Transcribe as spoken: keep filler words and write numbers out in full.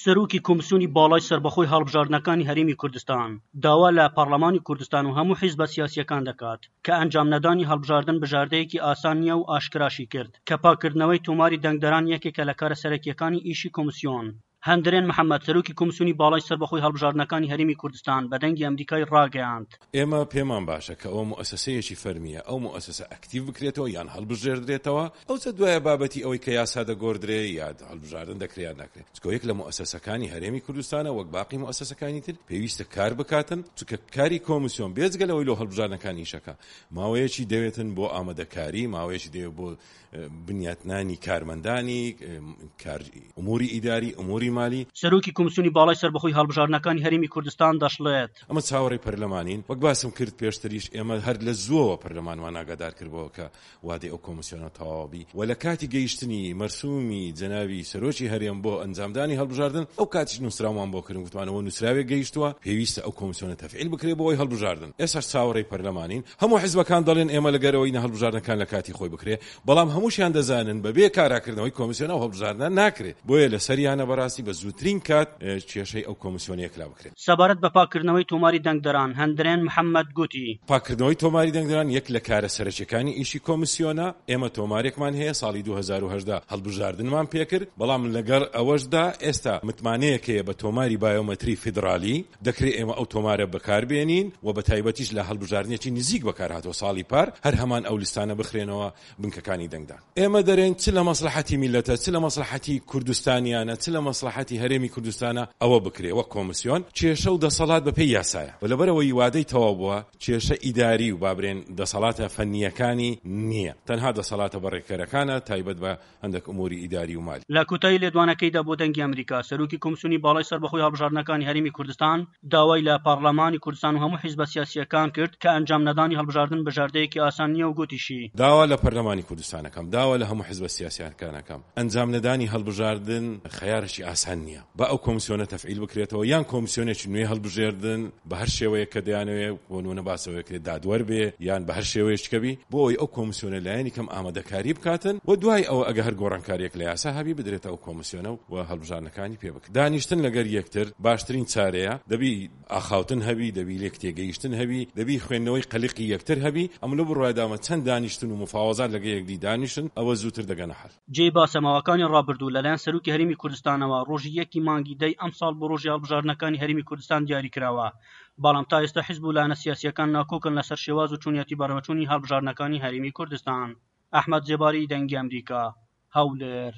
سەرۆکی کۆمسیۆنی باڵای سەربەخۆی هەڵبژاردنەکانی هەرێمی کوردستان داوا لە پەرلەمانی کوردستان و هەموو حیزبە سیاسییەکان دەکات کە ئەنجامنەدانی هەڵبژاردن بژاردەیەکی ئاسان نییە و ئاشکراشی کرد کە پاککردنەوەی تۆماری دەنگدەران یەکێکە لە کارە سەرەکییەکانی ئیشی کۆمسیۆن. هەندرێن محەمەد، سەرۆکی کۆمسیۆنی باڵای سەربەخۆی هەڵبژاردنەکانی هەرێمی کوردستان بە دەنگی ئەمریکای ڕاگەیاند، ئێمە پێمان باشە کە ئەوە موئەسەسەیەکی فەرمییە، ئەو موئەسەسە ئەکتیڤ بکرێتەوە یان هەڵبژێردرێتەوە، ئەوجا دوایە بابەتی ئەوەی کە یاسا دەگۆردرێ یا هەڵبژاردن دەکرێ یان ناکرێ، چونکە یەک لە موئەسەسەکانی هەرێمی کوردستانە وەک باقی موئەسەسەکانی تر پێویستە کار بکاتن، چونکە کاری کۆمسیۆن بێجگە لەوەی لۆ هەڵبژاردنەکان ئیشەکا ماوەیەکی دەوێتن بۆ ئامادەکاری، ماوەیەکی دەوێت بۆ بنیاتنانی کارمەندانی کار ئوموری ئیداری، ئوموری مالی. سەرۆکی کۆمسیۆنی باڵای سەربەخۆی هەڵبژاردنەکانی هەرێمی کوردستان دەشڵێت، ئەمە چاوەڕێی پەرلەمانین، وەک باسم کرد پێشتریش ئێمە هەر لە زووەوە پەرلەمانمان ئاگادار کردبەوە کە وادەی ئەو کۆمسیۆنە تەواو بی و لە کاتی گەیشتنی مەرسومی جەنابی سەرۆکی هەرێم بۆ ئەنجامدانی هەڵبژاردن ئەو کاتیش نووسراومان بۆ کردن، گوتمان ئەوە نووسراوێک گەیشتووە پێویستە ئەو کۆمسیۆنە تەفعیل بکرێ بۆ ئەوەی هەڵبژاردن. ئێستاش چاوەڕێی پەرلەمانین، هەموو حیزبەکان دەڵێن ئێمە لەگەر ئەوەی نە هەڵبژاردنەکان لە کاتی خۆی بکرێ، بەڵام هەمووشیان دەزانن بەبێ کاراکردنەوەی کۆمسیۆن ئەو هەڵبژاردنە ناکرێ، بۆیە لەسەریانە بەڕاستی بە زووترین کات کێشەی ئەو کۆمسیۆنە یەکلا بکرێت. سەبارەت بە پاککردنەوەی تۆماری دەنگدەران، هەندرێن محەممەد گوتی. پاککردنەوەی تۆماری دەنگدەران یەک لە کارە سەرەکیەکانی ئیشی کۆمسیۆنە، ئێمە تۆمارێکمان هەیە ساڵی دوو هەزار و هەژدە هەڵبژاردنمان پێکرد، بەڵام لەگەڵ ئەوەشدا ئێستا متمانەیەک هەیە بە تۆماری بایۆمەتری فیدرالی، دەکرێت ئێمە ئەو تۆمارە بەکاربێنین و بە تایبەتیش لە هەڵبژاردنێکی نزیک بەکارهاتەوە ساڵی پار هەر هەمان ئەو لیستانە بخرێنەوە بنکەکانی دەنگدان. ئێمە دەرێن چ لە مەسلحەتی میلەتە، چ لە مەسلحەتی کوردستانیانە، چ لە مەسلحەتی هەرێمی کوردستانە ئەوە بکرێ وەک کۆمسیۆن. کێشە و دەسەڵات بەپێی یاسایە و لەبەرەوەی وادەی تەواو بووە کێشە ئیداری و بابرێن دەسەڵاتە فەنییەکانی نییە، تەنها دەسەڵاتە بەڕێکەرەکانە تایبەت بە هەندێک ئوموری ئیداری و مالی. لە کۆتایی لێدوانەکەیدا بۆ دەنگی ئەمریکا، سەرۆکی کۆمسیۆنی باڵای سەربەخۆی هەڵبژاردنەکانی هەرێمی کوردستان داوای لە پەرلەمانی کوردستان و هەموو حیزبە سیاسییەکان کرد کە ئەنجام نەدانی هەڵبژاردن بژاردەیەکی ئاسان نییە و گوتیشی، داوا لە پەرلەمانی کوردستانەکەم، داوا لە هەموو حیزبە سیاسیەکانەکەم، ئەنجام نەدانی هەڵبژاردن خەیارێکی ئاسان نییە، با ئەو کۆمسیۆنە تەفعیل بکرێتەوە یان کۆمسیۆنێکی نوێ هەڵبژێردن بە هەر شێوەیەک کە دەیانەوێ، بۆ نمونە باسەوەیەک دادوەر بێ یان بە هەر شێوەیەک کە بی، بۆ ئەوەی ئەو کۆمسیۆنە لایەنی کەم ئامادەکاری بکاتن و دوای ئەوە ئەگە هەر گۆڕانکاریەک لە یاسا هەبی بدرێتە ئەو کۆمسیۆنە و هەڵبژاردنەکانی پێ بکرێت. دانیشتن لەگەر یەکتر باشترین چارەیە، دەبی ئاخاوتن هەبی، دەبی لێک تێگەیشتن هەبی، دەبی خوێندنەوەی قەلقی یەکتر هەبی. ئەم لەو بڕوایدامە چەند دانیشتن و مفاوەزات لەگە یەکدی دانیشن ئەوە زووتر دەگەنە حەل. جێی باسە ماوەکانی ڕابردوو لەلایەن سەرۆکی هەرێمی کوردستانەوە ڕۆژی یەکی مانگی دەی ئەمساڵ بۆ ڕۆژی هەڵبژاردنەکانی هەرێمی کوردستان دیاری کراوە، بەڵام تا ئێستا حیزب و لایەنە سیاسیەکان ناکۆکن لەسەر شێواز و چۆنیەتی بەڕێوەچوونی هەڵبژاردنەکانی هەرێمی کوردستان. ئەحمەد زێباری، دەنگی ئەمریکا، هەولێر.